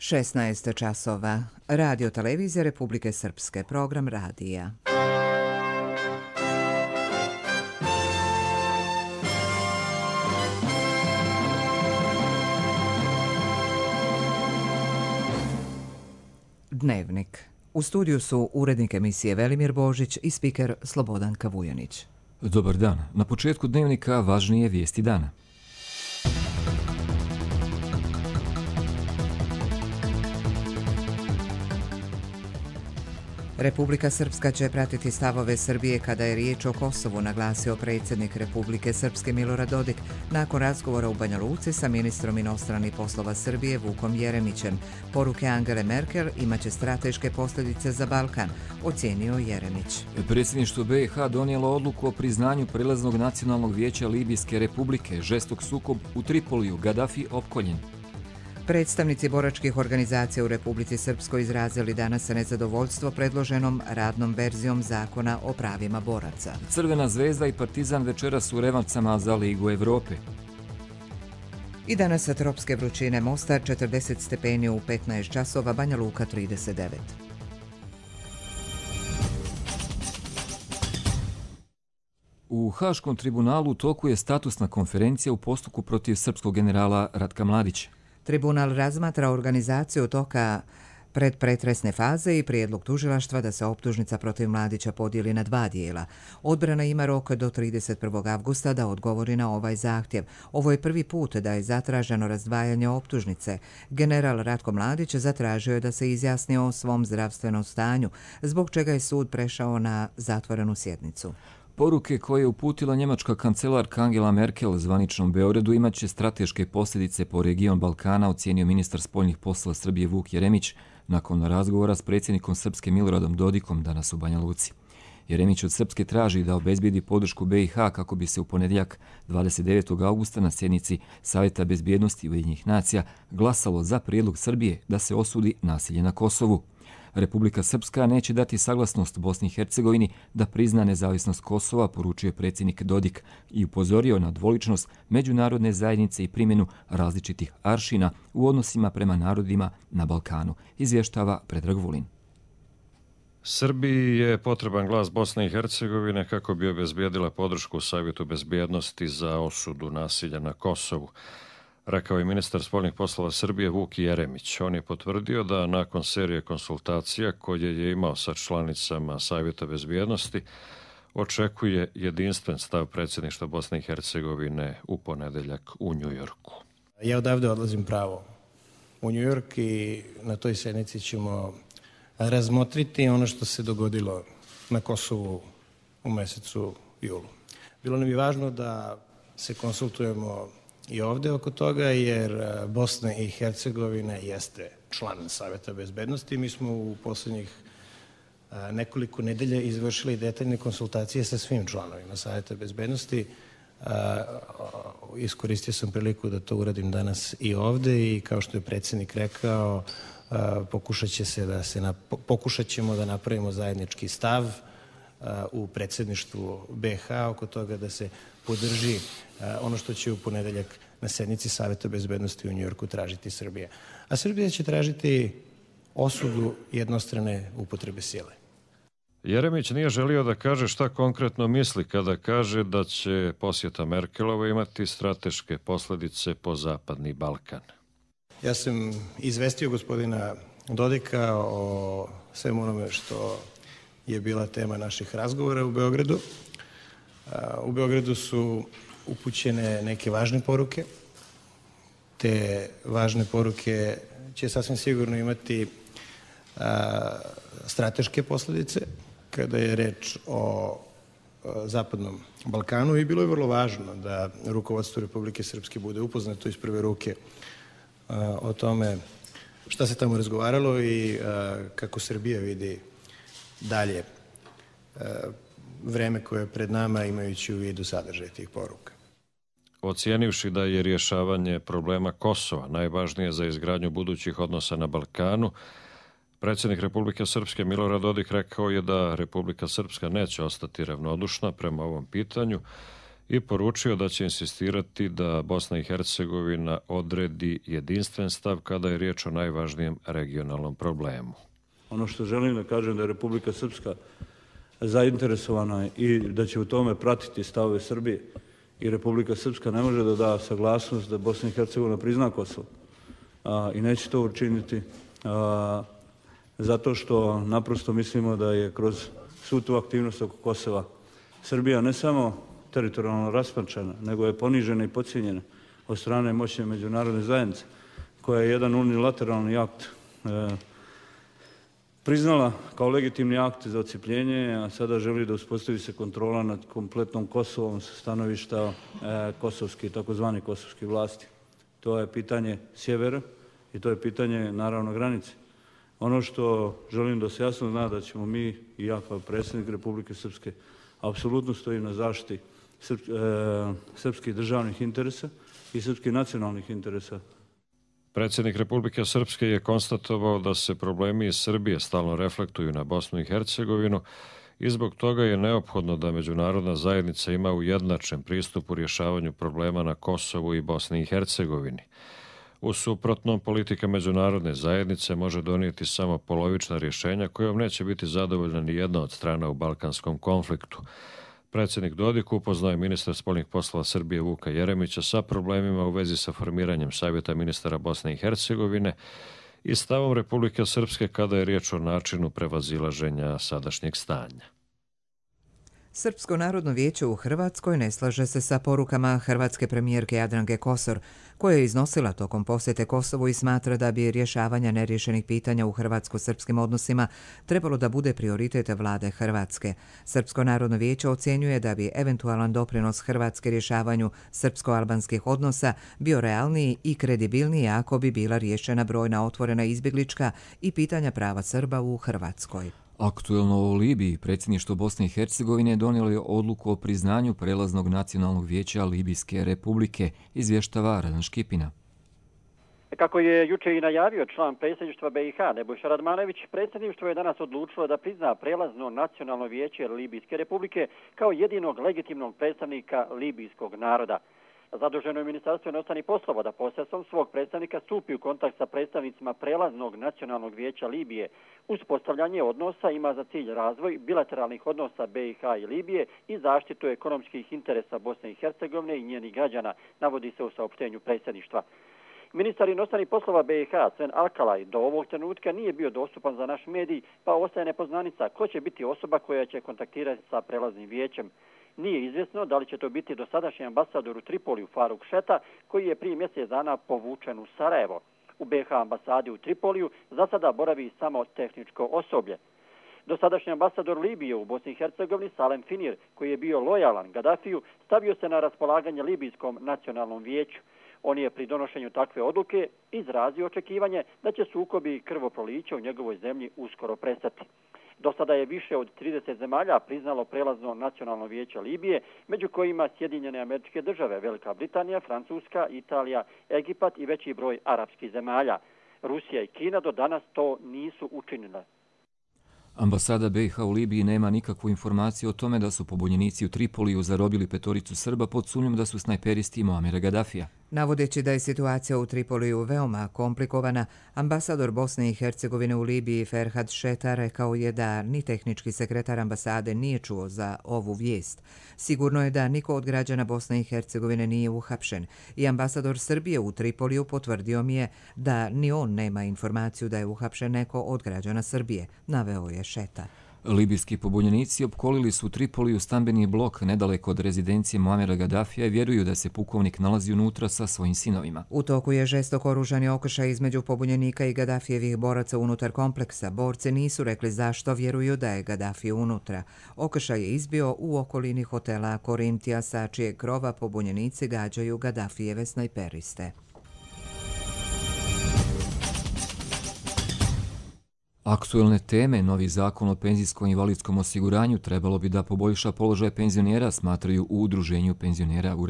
16 časova. Radio televizija Republike Srpske. Program radija. Dnevnik. U studiju su urednik emisije Velimir Božić i spiker Slobodanka Vujanić. Dobar dan. Na početku dnevnika važnije vijesti dana. Republika Srpska će pratiti stavove Srbije kada je riječ o Kosovu, naglasio predsjednik Republike Srpske Milorad Dodik nakon razgovora u Banja Luci sa ministrom inostranih poslova Srbije Vukom Jeremićem. Poruke Angele Merkel imaće strateške posljedice za Balkan, ocijenio Jeremić. Predsjedništvo BiH donijelo odluku o priznanju Prelaznog nacionalnog vijeća Libijske republike, žestok sukob u Tripoliju, Gaddafi opkoljen. Predstavnici boračkih organizacija u Republici Srpskoj izrazili danas nezadovoljstvo predloženom radnom verzijom zakona o pravima boraca. Crvena zvezda i Partizan večeras u revancama za Ligu Evrope. I danas sa tropske vrućine Mostar 40 stepeni u 15 časova, Banja Luka 39. U Haškom tribunalu u toku je statusna konferencija u postupku protiv srpskog generala Ratka Mladića. Tribunal razmatra organizaciju toka predpretresne faze i prijedlog tužilaštva da se optužnica protiv Mladića podijeli na dva dijela. Odbrana ima rok do 31. avgusta da odgovori na ovaj zahtjev. Ovo je prvi put da je zatraženo razdvajanje optužnice. General Ratko Mladić zatražio je da se izjasni o svom zdravstvenom stanju, zbog čega je sud prešao na zatvorenu sjednicu. Poruke koje je uputila njemačka kancelarka Angela Merkel zvaničnom Beogradu imaće strateške posljedice po region Balkana, ocijenio ministar spoljnih poslova Srbije Vuk Jeremić nakon razgovora s predsjednikom Srpske Miloradom Dodikom danas u Banja Luci. Jeremić od Srpske traži da obezbijedi podršku BiH kako bi se u ponedjeljak 29. augusta na sjednici Savjeta bezbjednosti Ujedinjenih nacija glasalo za prijedlog Srbije da se osudi nasilje na Kosovu. Republika Srpska neće dati saglasnost Bosni i Hercegovini da prizna nezavisnost Kosova, poručio je predsjednik Dodik i upozorio na dvoličnost međunarodne zajednice i primjenu različitih aršina u odnosima prema narodima na Balkanu, izvještava Predrag Vulin. Srbiji je potreban glas Bosne i Hercegovine kako bi obezbijedila podršku Savjetu bezbjednosti za osudu nasilja na Kosovu, rekao je ministar spoljnih poslova Srbije Vuk Jeremić. On je potvrdio da nakon serije konsultacija koje je imao sa članicama Savjeta bezbjednosti očekuje jedinstven stav predsjedništva Bosne i Hercegovine u ponedjeljak u Njujorku. Ja odavde odlazim pravo u Njujork i na toj sjednici ćemo razmotriti ono što se dogodilo na Kosovu u mjesecu julu. Bilo nam je važno da se konsultujemo i ovdje oko toga, jer Bosna i Hercegovina jeste član Savjeta bezbednosti. Mi smo u posljednjih nekoliko nedelja izvršili detaljne konsultacije sa svim članovima Savjeta bezbednosti. Iskoristio sam priliku da to uradim danas i ovdje i kao što je predsjednik rekao, pokušat ćemo da napravimo zajednički stav u predsjedništvu BiH oko toga da se podrži ono što će u ponedjeljak na sjednici Savjeta bezbednosti u Njujorku tražiti Srbija. A Srbija će tražiti osudu jednostrane upotrebe sile. Jeremić nije želio da kaže šta konkretno misli kada kaže da će posjeta Merkelova imati strateške posljedice po Zapadni Balkan. Ja sam izvestio gospodina Dodika o svemu onome što je bila tema naših razgovora u Beogradu. U Beogradu su upućene neke važne poruke. Te važne poruke će sasvim sigurno imati strateške posljedice kada je reč o Zapadnom Balkanu i bilo je vrlo važno da rukovodstvo Republike Srpske bude upoznato iz prve ruke o tome šta se tamo razgovaralo i kako Srbija vidi dalje vreme koje je pred nama, imajući u vidu sadržaj tih poruka. Ocijenivši da je rješavanje problema Kosova najvažnije za izgradnju budućih odnosa na Balkanu, predsjednik Republike Srpske Milorad Dodik rekao je da Republika Srpska neće ostati ravnodušna prema ovom pitanju i poručio da će insistirati da Bosna i Hercegovina odredi jedinstven stav kada je riječ o najvažnijem regionalnom problemu. Ono što želim da kažem da je Republika Srpska zainteresovana i da će u tome pratiti stavove Srbije i Republika Srpska ne može da da saglasnost da Bosna i Hercegovina prizna Kosovo i neće to učiniti zato što naprosto mislimo da je kroz svu tu aktivnost oko Kosova Srbija ne samo teritorijalno raspačena, nego je ponižena i podcijenjena od strane moćne međunarodne zajednice, koja je jedan unilateralni akt priznala kao legitimni akt za odcijepljenje, a sada želi da uspostavi se kontrola nad kompletnom Kosovom sa stanovišta takozvani kosovskih vlasti. To je pitanje sjevera i to je pitanje, naravno, granice. Ono što želim da se jasno zna da ćemo mi i ja kao predsjednik Republike Srpske apsolutno stojim na zaštiti srpskih državnih interesa i srpskih nacionalnih interesa. Predsjednik Republike Srpske je konstatovao da se problemi iz Srbije stalno reflektuju na Bosnu i Hercegovinu i zbog toga je neophodno da međunarodna zajednica ima ujednačen pristup u rješavanju problema na Kosovu i Bosni i Hercegovini. U suprotnom, politika međunarodne zajednice može donijeti samo polovična rješenja kojom neće biti zadovoljna ni jedna od strana u balkanskom konfliktu. Predsjednik Dodik upoznao je ministra spoljnih poslova Srbije Vuka Jeremića sa problemima u vezi sa formiranjem Savjeta ministara Bosne i Hercegovine i stavom Republike Srpske kada je riječ o načinu prevazilaženja sadašnjeg stanja. Srpsko narodno vijeće u Hrvatskoj ne slaže se sa porukama hrvatske premijerke Jadranke Kosor, koja je iznosila tokom posjete Kosovu i smatra da bi rješavanja neriješenih pitanja u hrvatsko-srpskim odnosima trebalo da bude prioritet vlade Hrvatske. Srpsko narodno vijeće ocjenjuje da bi eventualan doprinos Hrvatske rješavanju srpsko-albanskih odnosa bio realniji i kredibilniji ako bi bila riješena brojna otvorena izbjeglička i pitanja prava Srba u Hrvatskoj. Aktuelno o Libiji, predsjedništvo Bosne i Hercegovine donijelo je odluku o priznanju prelaznog nacionalnog vijeća Libijske republike, izvještava Radan Škipina. Kako je juče i najavio član predsjedništva BiH Nebojša Radmanović, predsjedništvo je danas odlučilo da prizna prelazno nacionalno vijeće Libijske republike kao jedinog legitimnog predstavnika libijskog naroda. Zaduženo je Ministarstvo inostranih poslova da posredstvom svog predstavnika stupi u kontakt sa predstavnicima prelaznog nacionalnog vijeća Libije. Uspostavljanje odnosa ima za cilj razvoj bilateralnih odnosa BiH i Libije i zaštitu ekonomskih interesa Bosne i Hercegovine i njenih građana, navodi se u saopštenju predsjedništva. Ministar inostranih poslova BiH Sven Alkalaj do ovog trenutka nije bio dostupan za naš medij, pa ostaje nepoznanica ko će biti osoba koja će kontaktirati sa prelaznim vijećem. Nije izvjesno da li će to biti dosadašnji ambasador u Tripoliju Faruk Šeta, koji je prije mjesec dana povučen u Sarajevo. U BiH ambasadi u Tripoliju za sada boravi samo tehničko osoblje. Dosadašnji ambasador Libije u Bosni i Hercegovini Salem Finir, koji je bio lojalan Gadafiju, stavio se na raspolaganje Libijskom nacionalnom vijeću. On je pri donošenju takve odluke izrazio očekivanje da će sukobi i krvoproliće u njegovoj zemlji uskoro prestati. Do sada je više od 30 zemalja priznalo prelazno nacionalno vijeće Libije, među kojima Sjedinjene Američke Države, Velika Britanija, Francuska, Italija, Egipat i veći broj arapskih zemalja. Rusija i Kina do danas to nisu učinile. Ambasada BiH u Libiji nema nikakvu informaciju o tome da su pobunjenici u Tripoliju zarobili 5 Srba pod sumnjom da su snajperisti Muamera Gadafija. Navodeći da je situacija u Tripoliju veoma komplikovana, ambasador Bosne i Hercegovine u Libiji Ferhat Šeta rekao je da ni tehnički sekretar ambasade nije čuo za ovu vijest. Sigurno je da niko od građana Bosne i Hercegovine nije uhapšen i ambasador Srbije u Tripoliju potvrdio mi je da ni on nema informaciju da je uhapšen neko od građana Srbije, naveo je Šeta. Libijski pobunjenici opkolili su u Tripoliju stambeni blok nedaleko od rezidencije Muamera Gadafija i vjeruju da se pukovnik nalazi unutra sa svojim sinovima. U toku je žestok oružani okršaj između pobunjenika i Gadafijevih boraca unutar kompleksa. Borci nisu rekli zašto vjeruju da je Gaddafi unutra. Okršaj je izbio u okolini hotela Korintija, sa čijeg krova pobunjenici gađaju Gaddafijeve snajperiste. Aktuelne teme, novi zakon o penzijskom i invalidskom osiguranju trebalo bi da poboljša položaj penzionera, smatraju u Udruženju penzionera u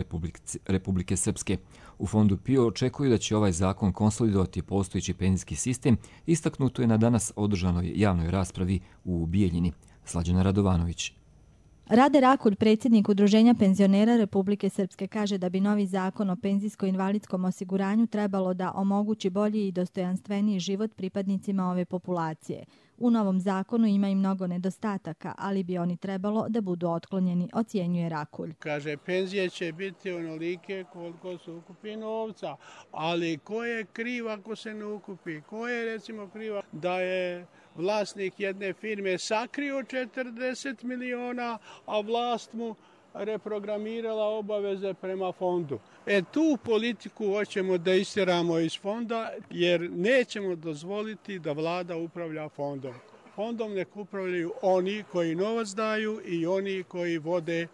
Republike Srpske. U fondu PIO očekuju da će ovaj zakon konsolidovati postojeći penzijski sistem, istaknuto je na danas održanoj javnoj raspravi u Bijeljini. Slađana Radovanović. Rade Rakulj, predsjednik Udruženja penzionera Republike Srpske, kaže da bi novi zakon o penzijsko-invalidskom osiguranju trebalo da omogući bolji i dostojanstveniji život pripadnicima ove populacije. U novom zakonu ima i mnogo nedostataka, ali bi oni trebalo da budu otklonjeni, ocjenjuje Rakulj. Kaže, penzije će biti onolike koliko se ukupi novca, ali ko je kriv ako se ne ukupi? Ko je recimo kriva da je vlasnik jedne firme sakrio 40 miliona, a vlast mu reprogramirala obaveze prema fondu. Tu politiku hoćemo da istjeramo iz fonda, jer nećemo dozvoliti da vlada upravlja fondom. Fondom nek upravljaju oni koji novac daju i oni koji vode,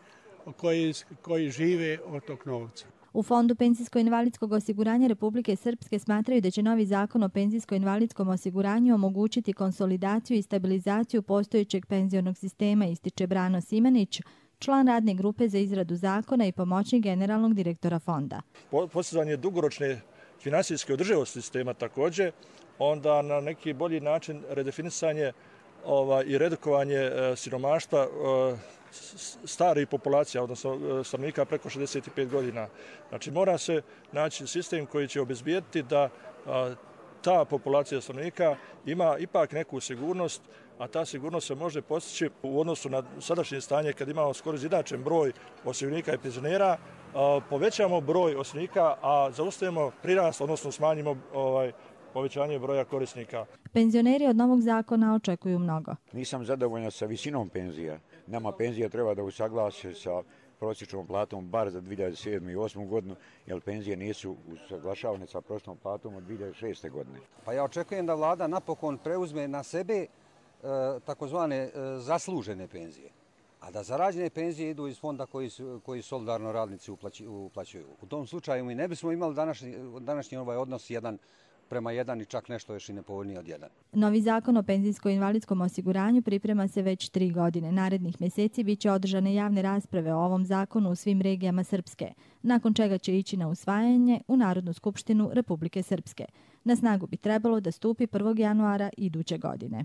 koji žive od tog novca. U Fondu penzijsko-invalidskog osiguranja Republike Srpske smatraju da će novi zakon o penzijsko-invalidskom osiguranju omogućiti konsolidaciju i stabilizaciju postojećeg penzionog sistema, ističe Brano Simanić, član radne grupe za izradu zakona i pomoćnik generalnog direktora fonda. Postizanje dugoročne finansijske održivosti sistema također, onda na neki bolji način redefinisanje i redukovanje siromaštva starih populacija, odnosno stanovnika preko 65 godina. Znači mora se naći sistem koji će obezbijeti da ta populacija stanovnika ima ipak neku sigurnost, a ta sigurnost se može postići u odnosu na sadašnje stanje kad imamo skoro izjednačen broj osiguranika i penzionera, povećamo broj osiguranika, a zaustavimo prirast, odnosno smanjimo povećanje broja korisnika. Penzioneri od novog zakona očekuju mnogo. Nisam zadovoljan sa visinom penzija. Nama penzija treba da usaglasi sa prosječnom platom bar za 2007. i 2008. godinu, jer penzije nisu usaglašavane sa prosječnom platom od 2006. godine. Pa ja očekujem da vlada napokon preuzme na sebe takozvane zaslužene penzije, a da zarađene penzije idu iz fonda koji solidarno radnici uplaćuju. U tom slučaju mi ne bismo imali današnji ovaj odnos 1:1 i čak nešto još i nepovoljnije od 1. Novi zakon o penzijsko-invalidskom osiguranju priprema se već 3 godine. Narednih mjeseci biće održane javne rasprave o ovom zakonu u svim regijama Srpske, nakon čega će ići na usvajanje u Narodnu skupštinu Republike Srpske. Na snagu bi trebalo da stupi 1. januara iduće godine.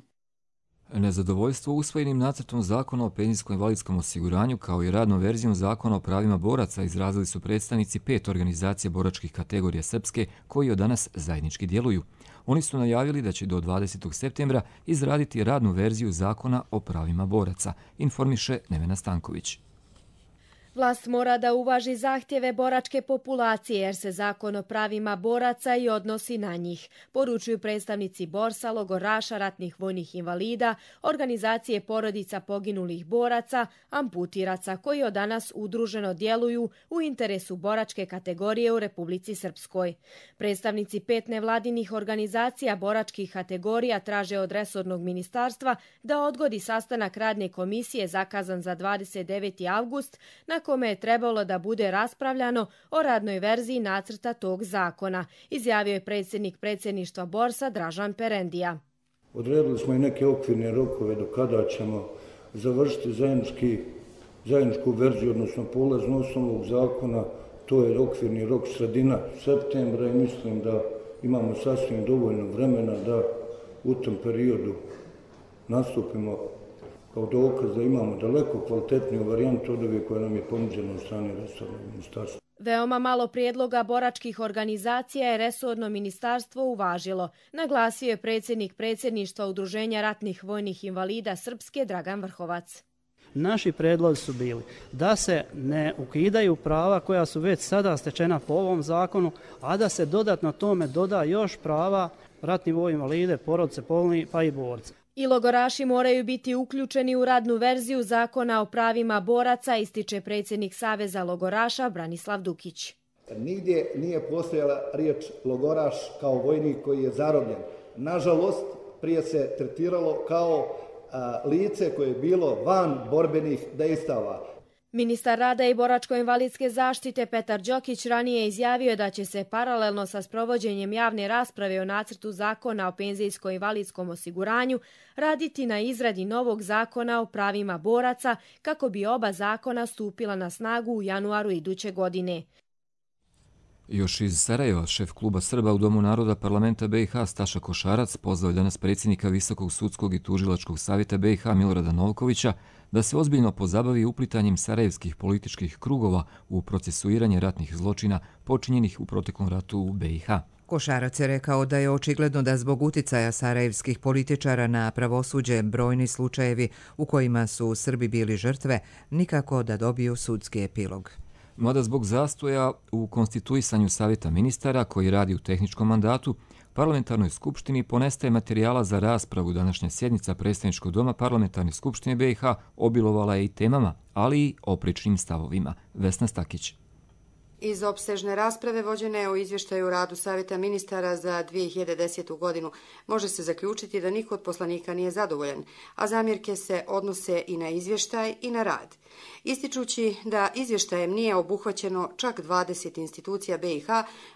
Nezadovoljstvo usvojenim nacrtom zakona o penzijsko-invalidskom osiguranju kao i radnom verzijom zakona o pravima boraca izrazili su predstavnici 5 organizacija boračkih kategorija Srpske koji od danas zajednički djeluju. Oni su najavili da će do 20. septembra izraditi radnu verziju zakona o pravima boraca, informiše Nevena Stanković. Vlast mora da uvaži zahtjeve boračke populacije jer se zakon o pravima boraca i odnosi na njih, poručuju predstavnici borsa, logoraša, ratnih vojnih invalida, organizacije porodica poginulih boraca, amputiraca koji od danas udruženo djeluju u interesu boračke kategorije u Republici Srpskoj. Predstavnici 5 nevladinih organizacija boračkih kategorija traže od resornog ministarstva da odgodi sastanak radne komisije zakazan za 29. avgust na kome je trebalo da bude raspravljano o radnoj verziji nacrta tog zakona, izjavio je predsjednik predsjedništva borsa Dražan Perendija. Odredili smo i neke okvirne rokove do kada ćemo završiti zajedničku verziju, odnosno polaznu osnovnog zakona. To je okvirni rok sredina septembra i mislim da imamo sasvim dovoljno vremena da u tom periodu nastupimo kao dokaz da imamo daleko kvalitetniju varijantu od ove koja nam je ponuđena od strane resornog ministarstva. Veoma malo prijedloga boračkih organizacija je resorno ministarstvo uvažilo, naglasio je predsjednik predsjedništva Udruženja ratnih vojnih invalida Srpske Dragan Vrhovac. Naši predlozi su bili da se ne ukidaju prava koja su već sada stečena po ovom zakonu, a da se dodatno tome doda još prava ratnih vojnih invalide, porodice, poginulih pa i borca. I logoraši moraju biti uključeni u radnu verziju zakona o pravima boraca, ističe predsjednik Saveza logoraša Branislav Dukić. Nigdje nije postojala riječ logoraš kao vojnik koji je zarobljen. Nažalost, prije se tretiralo kao lice koje je bilo van borbenih dejstava. Ministar rada i boračko-invalidske zaštite Petar Đokić ranije izjavio da će se paralelno sa sprovođenjem javne rasprave o nacrtu zakona o penzijsko-invalidskom osiguranju raditi na izradi novog zakona o pravima boraca kako bi oba zakona stupila na snagu u januaru iduće godine. Još iz Sarajeva, šef kluba Srba u Domu naroda parlamenta BiH Staša Košarac pozvao je danas predsjednika Visokog sudskog i tužilačkog savjeta BiH Milorada Novkovića da se ozbiljno pozabavi uplitanjem sarajevskih političkih krugova u procesuiranje ratnih zločina počinjenih u proteklom ratu u BiH. Košarac je rekao da je očigledno da zbog uticaja sarajevskih političara na pravosuđe brojni slučajevi u kojima su Srbi bili žrtve nikako da dobiju sudski epilog. Mada zbog zastoja u konstituisanju savjeta ministara koji radi u tehničkom mandatu, parlamentarnoj skupštini ponestaje materijala za raspravu. Današnja sjednica predstavničkog doma parlamentarne skupštine BiH obilovala je i temama, ali i oprečnim stavovima. Vesna Stakić. Iz opsežne rasprave vođene o izvještaju radu Savjeta ministara za 2010. godinu može se zaključiti da niko od poslanika nije zadovoljan, a zamjerke se odnose i na izvještaj i na rad. Ističući da izvještajem nije obuhvaćeno čak 20 institucija BiH,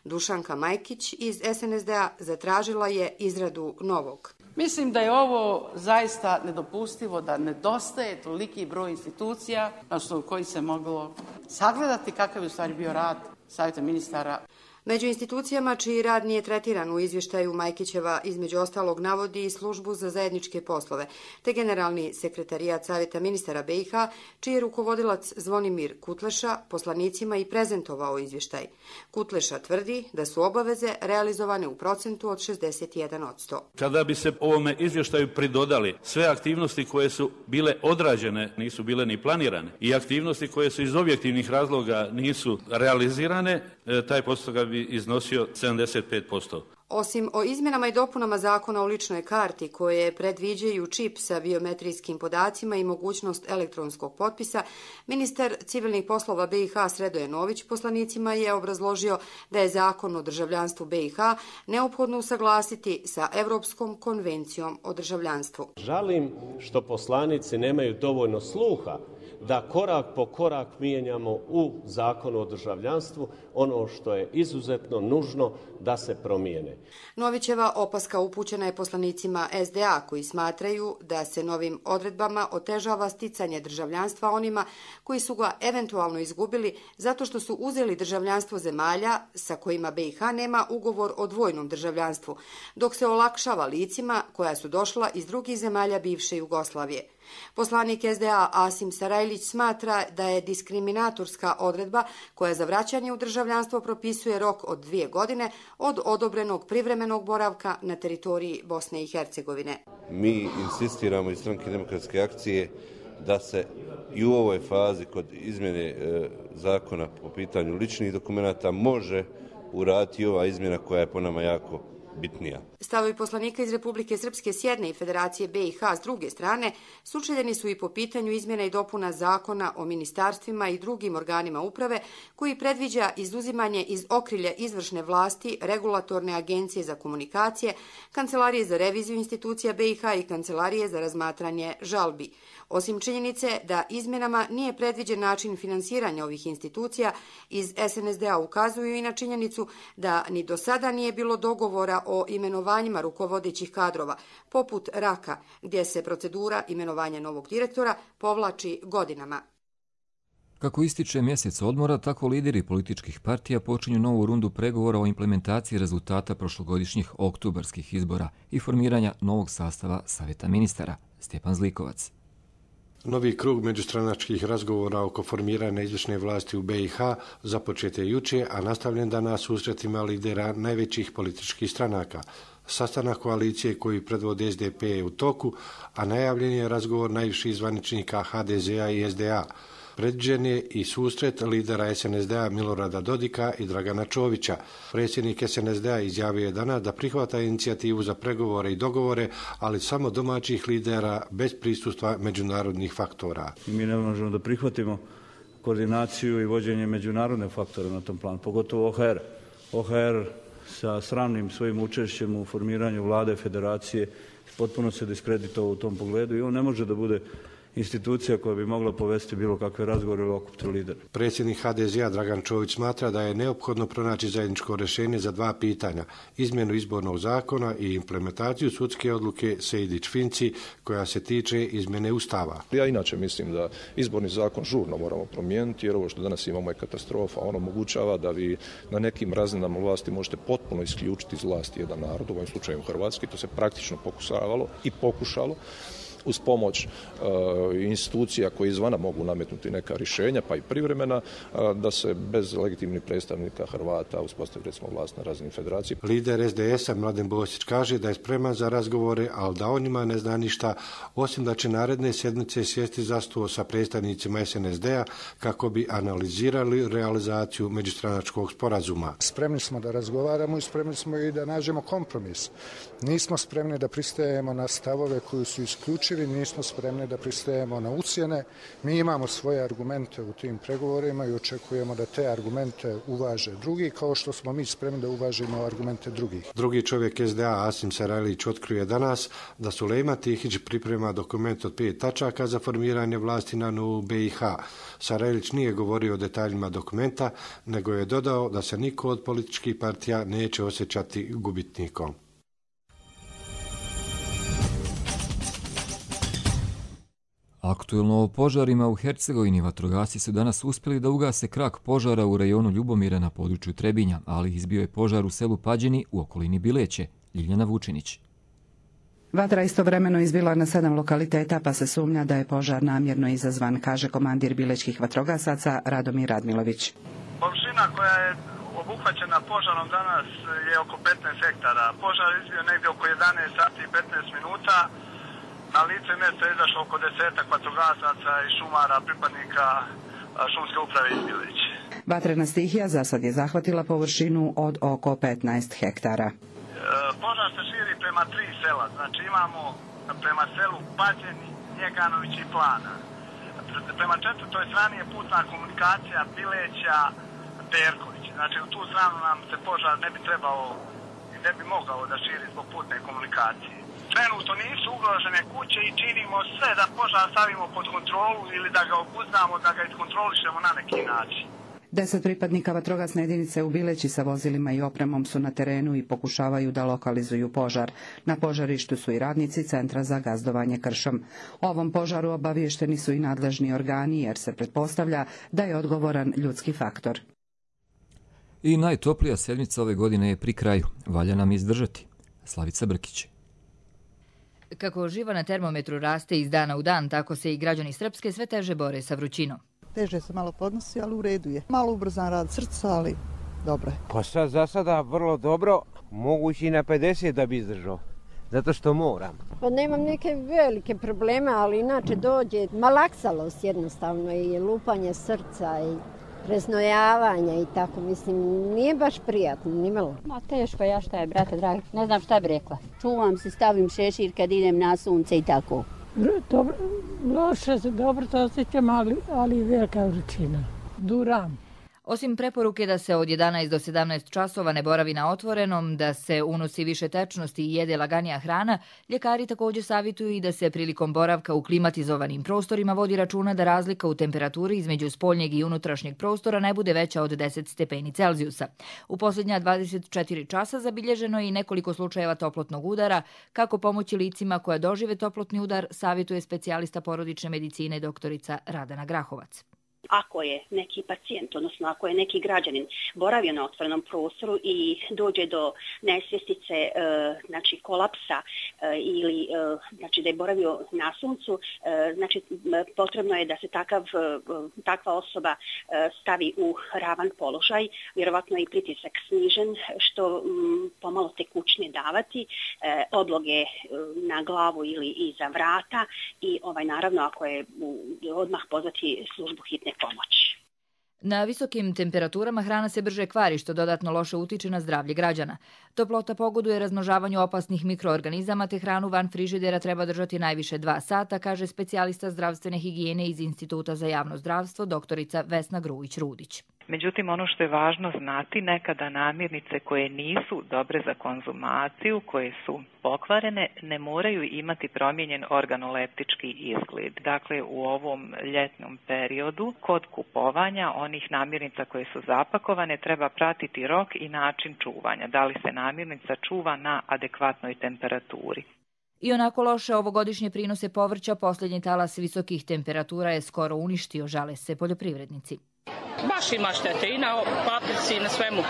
Dušanka Majkić iz SNSD-a zatražila je izradu novog. Mislim da je ovo zaista nedopustivo, da nedostaje toliki broj institucija na osnovu kojih se moglo sagledati kakav je u stvari bio rad Savjeta ministara. Među institucijama čiji rad nije tretiran u izvještaju Majkićeva između ostalog navodi i službu za zajedničke poslove, te generalni sekretarijat Savjeta ministara BiH, čiji je rukovodilac Zvonimir Kutleša poslanicima i prezentovao izvještaj. Kutleša tvrdi da su obaveze realizovane u procentu od 61%. Kada bi se ovome izvještaju pridodali sve aktivnosti koje su bile odrađene, nisu bile ni planirane, i aktivnosti koje su iz objektivnih razloga nisu realizirane, taj postotak bi iznosio 75%. Osim o izmjenama i dopunama zakona o ličnoj karti koje predviđaju čip sa biometrijskim podacima i mogućnost elektronskog potpisa, ministar civilnih poslova BiH Sredoje Nović poslanicima je obrazložio da je zakon o državljanstvu BiH neophodno usaglasiti sa Evropskom konvencijom o državljanstvu. Žalim što poslanici nemaju dovoljno sluha da korak po korak mijenjamo u zakonu o državljanstvu ono što je izuzetno nužno da se promijene. Novićeva opaska upućena je poslanicima SDA koji smatraju da se novim odredbama otežava sticanje državljanstva onima koji su ga eventualno izgubili zato što su uzeli državljanstvo zemalja sa kojima BiH nema ugovor o dvojnom državljanstvu, dok se olakšava licima koja su došla iz drugih zemalja bivše Jugoslavije. Poslanik SDA Asim Sarajlić smatra da je diskriminatorska odredba koja za vraćanje u državljanstvo propisuje rok od 2 godine od odobrenog privremenog boravka na teritoriji Bosne i Hercegovine. Mi insistiramo iz Stranke demokratske akcije da se i u ovoj fazi kod izmjene zakona po pitanju ličnih dokumenata može uraditi ova izmjena koja je po nama jako bitnija. Stavovi poslanika iz Republike Srpske s jedne i Federacije BiH s druge strane sučeljeni su i po pitanju izmjena i dopuna zakona o ministarstvima i drugim organima uprave koji predviđa izuzimanje iz okrilja izvršne vlasti Regulatorne agencije za komunikacije, Kancelarije za reviziju institucija BiH i Kancelarije za razmatranje žalbi. Osim činjenice da izmjenama nije predviđen način finansiranja ovih institucija, iz SNSD-a ukazuju i na činjenicu da ni do sada nije bilo dogovora o imenovanjima rukovodećih kadrova, poput Raka, gdje se procedura imenovanja novog direktora povlači godinama. Kako ističe mjesec odmora, tako lideri političkih partija počinju novu rundu pregovora o implementaciji rezultata prošlogodišnjih oktobarskih izbora i formiranja novog sastava Savjeta ministara. Stjepan Zlikovac. Novi krug međustranačkih razgovora oko formiranja izvršne vlasti u BiH započet je jučer, a nastavljen danas susretima lidera najvećih političkih stranaka. Sastanak koalicije koji predvode SDP je u toku, a najavljen je razgovor najviših zvaničnika HDZ-a i SDA. Predviđen je i susret lidera SNSD-a Milorada Dodika i Dragana Čovića. Predsjednik SNSD-a izjavio je danas da prihvata inicijativu za pregovore i dogovore, ali samo domaćih lidera bez prisustva međunarodnih faktora. Mi ne možemo da prihvatimo koordinaciju i vođenje međunarodne faktore na tom planu, pogotovo OHR. OHR sa sramnim svojim učešćem u formiranju vlade federacije potpuno se diskreditovao u tom pogledu i on ne može da bude institucija koja bi mogla povesti bilo kakve razgovore ili okupiti lidera. Predsjednik HDZ-a Dragan Čović smatra da je neophodno pronaći zajedničko rješenje za dva pitanja, izmjenu izbornog zakona i implementaciju sudske odluke Sejdić-Finci koja se tiče izmjene Ustava. Ja inače mislim da izborni zakon žurno moramo promijeniti jer ovo što danas imamo je katastrofa. On omogućava da vi na nekim razinama vlasti možete potpuno isključiti iz vlasti jedan narod, u ovom slučaju Hrvatski, to se praktično pokušalo uz pomoć institucija koje izvana mogu nametnuti neka rješenja, pa i privremena, da se bez legitimnih predstavnika Hrvata uspostavi recimo vlast na razini federacije. Lider SDS-a Mladen Bosić kaže da je spreman za razgovore, ali da on njima ne zna ništa, osim da će naredne sjednice sjesti za stol sa predstavnicima SNSD-a kako bi analizirali realizaciju međustranačkog sporazuma. Spremni smo da razgovaramo i spremni smo i da nađemo kompromis. Nismo spremni da pristajemo na stavove koji su isključivi, nismo spremni da pristajemo na ucjene. Mi imamo svoje argumente u tim pregovorima i očekujemo da te argumente uvaže drugi, kao što smo mi spremni da uvažimo argumente drugih. Drugi čovjek SDA, Asim Sarajlić, otkrio danas da Sulejman Tihić priprema dokument od 5 tačaka za formiranje vlasti na novu BiH. Sarajlić nije govorio o detaljima dokumenta, nego je dodao da se niko od političkih partija neće osjećati gubitnikom. Aktuelno o požarima u Hercegovini vatrogasci su danas uspjeli da ugase krak požara u rajonu Ljubomira na području Trebinja, ali izbio je požar u selu Pađeni u okolini Bileće. Ljiljana Vučinić. Vatra istovremeno izbila na 7 lokaliteta, pa se sumnja da je požar namjerno izazvan, kaže komandir bilečkih vatrogasaca Radomir Radmilović. Površina koja je obuhvaćena požarom danas je oko 15 hektara. Požar je izbio negdje oko 11 sati i 15 minuta. Na lice mjesta je izašlo oko 10 vatrogasaca i šumara, pripadnika šumske uprave iz Bileće. Vatrena stihija za sad je zahvatila površinu od oko 15 hektara. Požar se širi prema 3 sela, znači imamo prema selu Pađeni, Njeganović i Plana. Prema 4. strani je putna komunikacija Bileća, Perković. Znači u tu stranu nam se požar ne bi trebao i ne bi mogao da širi zbog putne komunikacije. Trenutno nisu ugrožene kuće i činimo sve da požar stavimo pod kontrolu ili da ga obuzdamo, da ga iskontrolišemo na neki način. 10 pripadnika vatrogasne jedinice u Bileći sa vozilima i opremom su na terenu i pokušavaju da lokalizuju požar. Na požarištu su i radnici Centra za gazdovanje kršom. O ovom požaru obaviješteni su i nadležni organi jer se pretpostavlja da je odgovoran ljudski faktor. I najtoplija sedmica ove godine je pri kraju. Valja nam izdržati. Slavica Brkić. Kako živa na termometru raste iz dana u dan, tako se i građani Srpske sve teže bore sa vrućinom. Teže se malo podnosi, ali u redu je. Malo ubrzan rad srca, ali dobro je. Pa sad za sada vrlo dobro, mogući i na 50 da bi izdržao, zato što moram. Pa nemam neke velike probleme, ali inače dođe malaksalost jednostavno i lupanje srca i preznojavanja i tako, mislim, nije baš prijatno, nimalo. Ma teško, ja šta je, brate dragi, ne znam šta bi rekla. Čuvam se, stavim šešir kad idem na sunce i tako. Dobro, loše se, dobro to osjećam, ali velika vrućina. Duram. Osim preporuke da se od 11 do 17 časova ne boravi na otvorenom, da se unosi više tečnosti i jede laganija hrana, ljekari također savjetuju i da se prilikom boravka u klimatizovanim prostorima vodi računa da razlika u temperaturi između spoljnjeg i unutrašnjeg prostora ne bude veća od 10 stepeni Celzijusa. U posljednja 24 časa zabilježeno je i nekoliko slučajeva toplotnog udara. Kako pomoći licima koja dožive toplotni udar, savjetuje specijalista porodične medicine doktorica Radana Grahovac. Ako je neki pacijent, odnosno ako je neki građanin boravio na otvorenom prostoru i dođe do nesvjestice, znači kolapsa ili znači da je boravio na suncu, znači potrebno je da se takva osoba stavi u ravan položaj, vjerovatno je i pritisak snižen, što pomalo tekućnije davati, obloge na glavu ili iza vrata i naravno ako je odmah pozvati službu hitne pomoći. Na visokim temperaturama hrana se brže kvari, što dodatno loše utiče na zdravlje građana. Toplota pogoduje razmnožavanju opasnih mikroorganizama, te hranu van frižidera treba držati najviše 2 sata, kaže specijalista zdravstvene higijene iz Instituta za javno zdravstvo, doktorica Vesna Grujić-Rudić. Međutim, ono što je važno znati, nekada namirnice koje nisu dobre za konzumaciju, koje su pokvarene, ne moraju imati promijenjen organoleptički izgled. Dakle, u ovom ljetnom periodu kod kupovanja onih namirnica koje su zapakovane treba pratiti rok i način čuvanja. Da li se namirnica čuva na adekvatnoj temperaturi. I onako loše ovogodišnje prinose povrća, posljednji talas visokih temperatura je skoro uništio, žale se poljoprivrednici. Baš ima štete i na paprici i na svemu.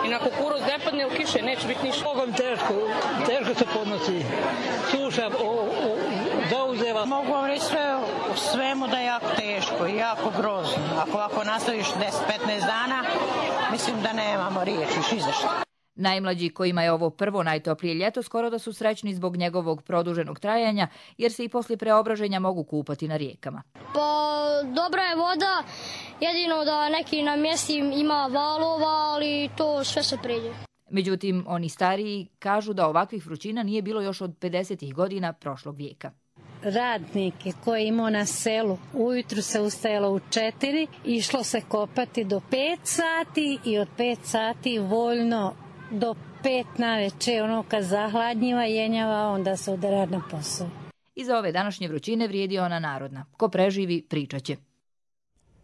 I na kukuruz ne padne u kiše, neće biti ništa. Bogom teško se podnosi. Suša zauzeva. Mogu vam reći sve u svemu da je jako teško i jako grozno. Ako ovako nastaviš 10-15 dana, mislim da nemamo riječi i za što. Najmlađi kojima je ovo prvo najtoplije ljeto skoro da su srećni zbog njegovog produženog trajanja, jer se i poslije preobraženja mogu kupati na rijekama. Pa dobra je voda, jedino da neki na mjesti ima valova, ali to sve se pređe. Međutim, oni stariji kažu da ovakvih vrućina nije bilo još od 50. godina prošlog vijeka. Radnike koje imao na selu, ujutru se ustajalo u 4, išlo se kopati do 5 sati i od 5 sati voljno do 5 naveče, ono kad zahladnjiva, jenjava, onda se ode rad na posao. Iza ove današnje vrućine vrijedi ona narodna. Ko preživi, pričat će.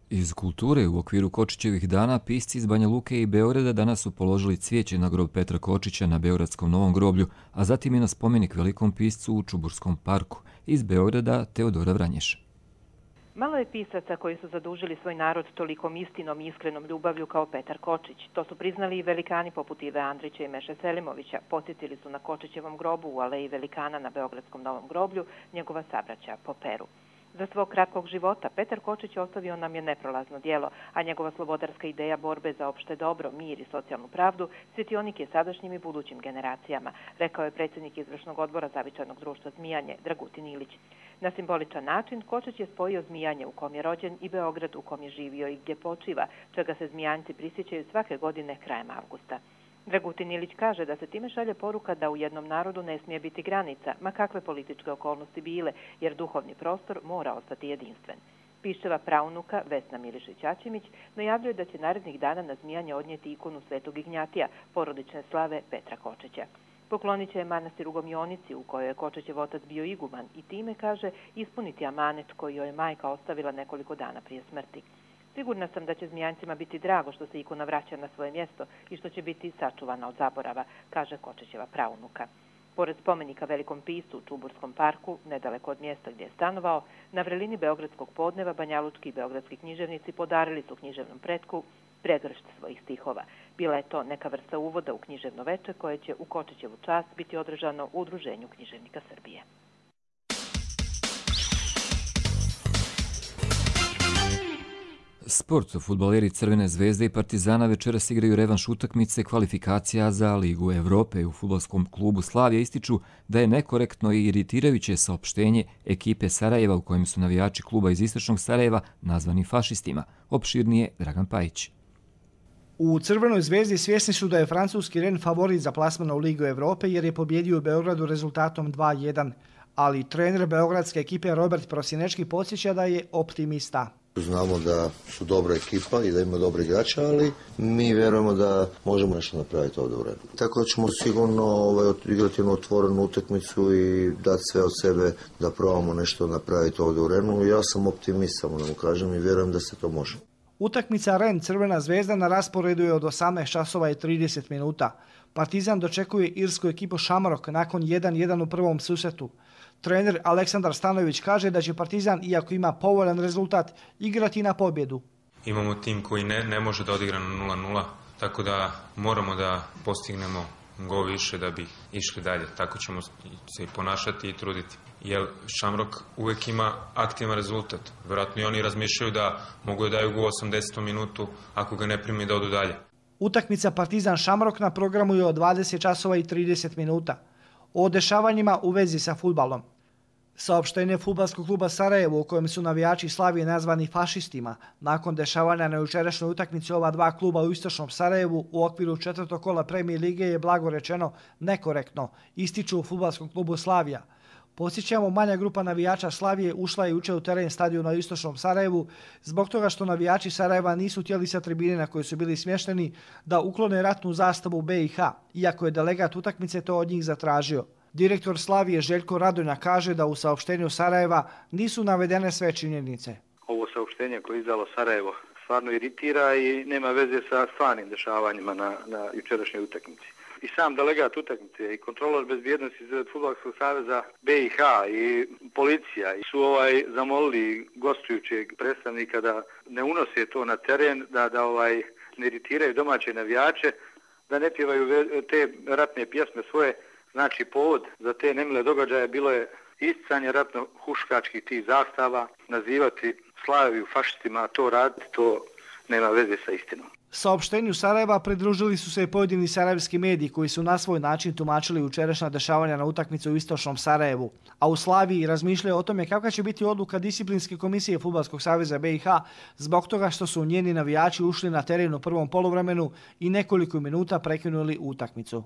Iz kulture u okviru Kočićevih dana pisci iz Banja Luke i Beograda danas su položili cvijeće na grob Petra Kočića na Beogradskom Novom groblju, a zatim i na spomenik velikom piscu u Čuburskom parku. Iz Beograda Teodora Vranješ. Malo je pisaca koji su zadužili svoj narod tolikom istinom i iskrenom ljubavlju kao Petar Kočić. To su priznali i velikani poput Ive Andrića i Meše Selimovića. Posjetili su na Kočićevom grobu u aleji velikana na Beogradskom Novom groblju njegova sabraća po Peru. Za svog kratkog života Petar Kočić ostavio nam je neprolazno djelo, a njegova slobodarska ideja borbe za opšte dobro, mir i socijalnu pravdu svjetionik je sadašnjim i budućim generacijama, rekao je predsjednik izvršnog odbora Zavičajnog društva Zmijanje Dragutin Ilić. Na simboličan način Kočić je spojio Zmijanje u kom je rođen i Beograd u kom je živio i gdje počiva, čega se Zmijanci prisjećaju svake godine krajem avgusta. Dragutin Ilić kaže da se time šalje poruka da u jednom narodu ne smije biti granica, ma kakve političke okolnosti bile, jer duhovni prostor mora ostati jedinstven. Piščeva praunuka Vesna Milišić-Ačimić najavljuje da će narednih dana na Zmijanje odnijeti ikonu Svetog Ignjatija, porodične slave Petra Kočića. Poklonit će je manastir u Gomionici, u kojoj je Kočićev otac bio iguman, i time, kaže, ispuniti amanet koji joj je majka ostavila nekoliko dana prije smrti. Sigurna sam da će Zmijancima biti drago što se ikona vraća na svoje mjesto i što će biti sačuvana od zaborava, kaže Kočićeva praunuka. Pored spomenika velikom piscu u Čuburskom parku, nedaleko od mjesta gdje je stanovao, na vrelini Beogradskog podneva banjalučki i beogradski književnici podarili su književnom pretku pregršt svojih stihova. Bila je to neka vrsta uvoda u književno veče koje će u Kočićevu čast biti održano u Udruženju književnika Srbije. Sport. Fudbaleri Crvene zvezde i Partizana večeras igraju revanš utakmice kvalifikacija za Ligu Evrope. U fudbalskom klubu Slavija ističu da je nekorektno i iritirajuće saopštenje ekipe Sarajeva u kojem su navijači kluba iz istočnog Sarajeva nazvani fašistima. Opširnije Dragan Pajić. U Crvenoj zvezdi svjesni su da je francuski Rennes favorit za plasman u Ligu Evrope jer je pobjedio u Beogradu rezultatom 2:1, ali trener beogradske ekipe Robert Prosinečki podsjeća da je optimista. Znamo da su dobra ekipa i da ima dobre igrače, ali mi vjerujemo da možemo nešto napraviti ovdje u Rennesu. Tako da ćemo sigurno igrati jednu otvorenu utakmicu i dati sve od sebe da probamo nešto napraviti ovdje u Rennesu. Ja sam optimist, samo da mu kažem, i vjerujem da se to može. Utakmica Rennes Crvena zvezda na rasporedu je od 18:30. Partizan dočekuje irsku ekipu Shamrock nakon 1:1 u prvom susretu. Trener Aleksandar Stanojević kaže da će Partizan, iako ima povoljan rezultat, igrati na pobjedu. Imamo tim koji ne može da odigra na 0:0, tako da moramo da postignemo gol više da bi išli dalje. Tako ćemo se i ponašati i truditi. Jer Shamrock uvijek ima aktivan rezultat. Vjerojatno i oni razmišljaju da mogu da daju gol 80. minutu, ako ga ne primi da odu dalje. Utakmica Partizan Shamrock na programu je od 20:30. O dešavanjima u vezi sa fudbalom. Saopštenje fudbalskog kluba Sarajevo u kojem su navijači Slavije nazvani fašistima nakon dešavanja na jučerašnjoj utakmici ova dva kluba u istočnom Sarajevu u okviru 4. kola Premijer lige je blago rečeno nekorektno, ističu u fudbalskom klubu Slavija. Podsjećamo, manja grupa navijača Slavije ušla je jučer u teren stadiona u istočnom Sarajevu zbog toga što navijači Sarajeva nisu htjeli sa tribine na kojoj su bili smješteni da uklone ratnu zastavu BiH, iako je delegat utakmice to od njih zatražio. Direktor Slavije Željko Radonja kaže da u saopštenju Sarajeva nisu navedene sve činjenice. Ovo saopštenje koje je izdalo Sarajevo stvarno iritira i nema veze sa stvarnim dešavanjima na jučerašnjoj utakmici. I sam delegat utakmice i kontrolor bezbjednosti Fudbalskog saveza BiH i policija su zamolili gostujućeg predstavnika da ne unose to na teren, da ne iritiraju domaće navijače, da ne pjevaju te ratne pjesme svoje. Znači, povod za te nemile događaje bilo je isticanje ratno-huškačkih tih zastava, nazivati Slaviju fašistima, to raditi, to nema veze sa istinom. Saopštenju Sarajeva pridružili su se i pojedini sarajevski mediji koji su na svoj način tumačili jučerašnja dešavanja na utakmicu u istočnom Sarajevu, a u Slaviji razmišljaju o tome kakva će biti odluka disciplinske komisije Fudbalskog saveza BiH zbog toga što su njeni navijači ušli na teren u prvom poluvremenu i nekoliko minuta prekinuli utakmicu.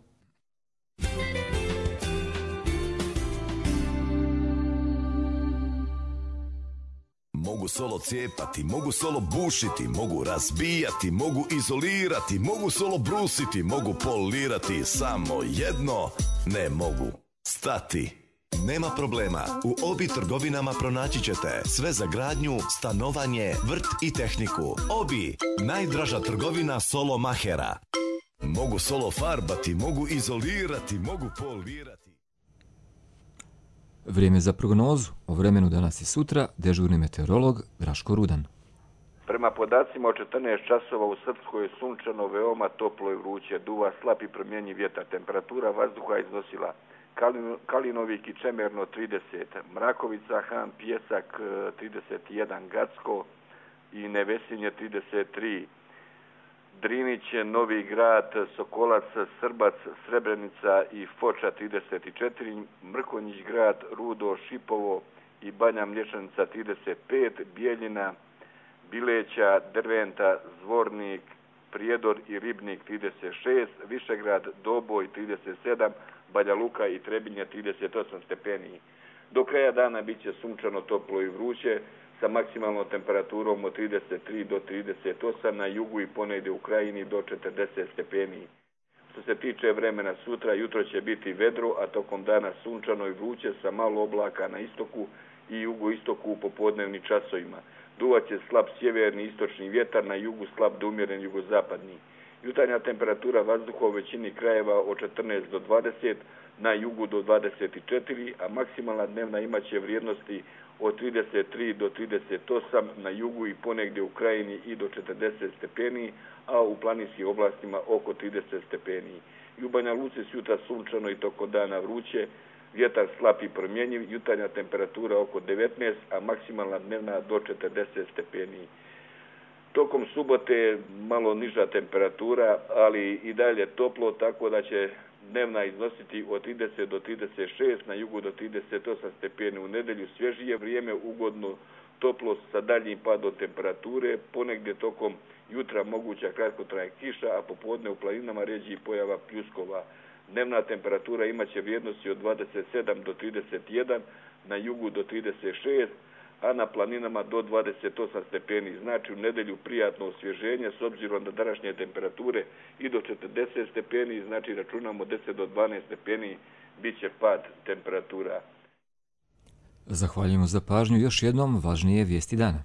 Mogu solo cijepati, mogu solo bušiti, mogu razbijati, mogu izolirati, mogu solo brusiti, mogu polirati, samo jedno ne mogu stati. Nema problema, u Obi trgovinama pronaći ćete sve za gradnju, stanovanje, vrt i tehniku. Obi, najdraža trgovina solo mahera. Mogu solo farbati, mogu izolirati, mogu polirati. Vrijeme za prognozu o vremenu danas i sutra, dežurni meteorolog Draško Rudan. Prema podacima od 14 časova u Srpskoj je sunčano, veoma toplo i vruće, duva slab i promjenjiv vjetar, temperatura vazduha iznosila Kalinovik i Čemerno 30, Mrakovica, Han, Pjesak 31, Gacko i Nevesinje 33, Drinić, Novi Grad, Sokolac, Srbac, Srebrenica i Foča 34, Mrkonjić Grad, Rudo, Šipovo i Banja Mlječanica 35, Bijeljina, Bileća, Drventa, Zvornik, Prijedor i Ribnik 36, Višegrad, Doboj 37, Banja Luka i Trebinje 38 stepeni. Do kraja dana bit će sunčano, toplo i vruće, sa maksimalnom temperaturom od 33 do 38, na jugu i ponegdje u krajini do 40 stepeni. Što se tiče vremena sutra, jutro će biti vedro, a tokom dana sunčano i vruće sa malo oblaka na istoku i jugoistoku u popodnevnim časovima. Duvaće slab sjeverni istočni vjetar, na jugu slab do umjeren jugozapadni. Jutarnja temperatura vazduha u većini krajeva od 14 do 20, na jugu do 24, a maksimalna dnevna imaće vrijednosti od 33 do 38, na jugu i ponegdje u krajini i do 40 stepeni, a u planinskim oblastima oko 30 stepeni. I u Banja Luci sutra sunčano i tokom dana vruće, vjetar slab i promjenjiv, jutarnja temperatura oko 19, a maksimalna dnevna do 40 stepeni. Tokom subote malo niža temperatura, ali i dalje toplo, tako da će dnevna iznositi od 30 do 36, na jugu do 38 stepeni. U nedjelju svježije vrijeme, ugodno toplo sa daljnjim padom temperature, ponegdje tokom jutra moguća kratkotrajna kiša, a popodne u planinama rjeđi pojava pljuskova. Dnevna temperatura imaće vrijednosti od 27 do 31, na jugu do 36, a na planinama do 28 stepeni. Znači u nedjelju prijatno osvježenje s obzirom na današnje temperature i do 40 stepeni, znači računamo 10 do 12 stepeni, bit će pad temperatura. Zahvaljujemo za pažnju. Još jednom važnije vijesti dana.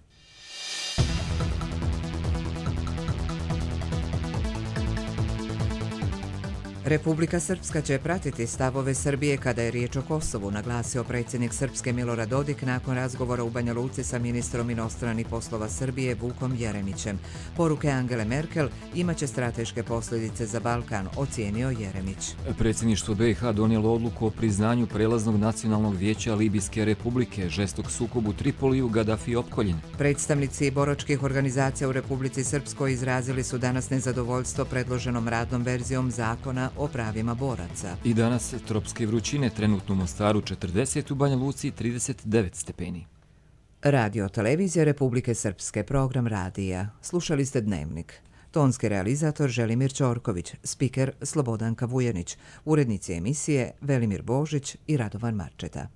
Republika Srpska će pratiti stavove Srbije kada je riječ o Kosovu, naglasio predsjednik Srpske Milorad Dodik nakon razgovora u Banja Luci sa ministrom inostranih poslova Srbije Vukom Jeremićem. Poruke Angele Merkel imaće strateške posljedice za Balkan, ocijenio Jeremić. Predsjedništvo BiH donijelo odluku o priznanju prelaznog nacionalnog vijeća Libijske republike, žestok sukob u Tripoliju, Gaddafi opkoljen. Predstavnici boračkih organizacija u Republici Srpskoj izrazili su danas nezadovoljstvo predloženom radnom verzijom zakona o pravima boraca. I danas tropske vrućine, trenutno u Mostaru 40, u Banja Luci 39 stepeni. Radio televizija Republike Srpske, program radija. Slušali ste Dnevnik. Tonski realizator Želimir Ćorković, spiker Slobodanka Vujenić, urednici emisije Velimir Božić i Radovan Marčeta.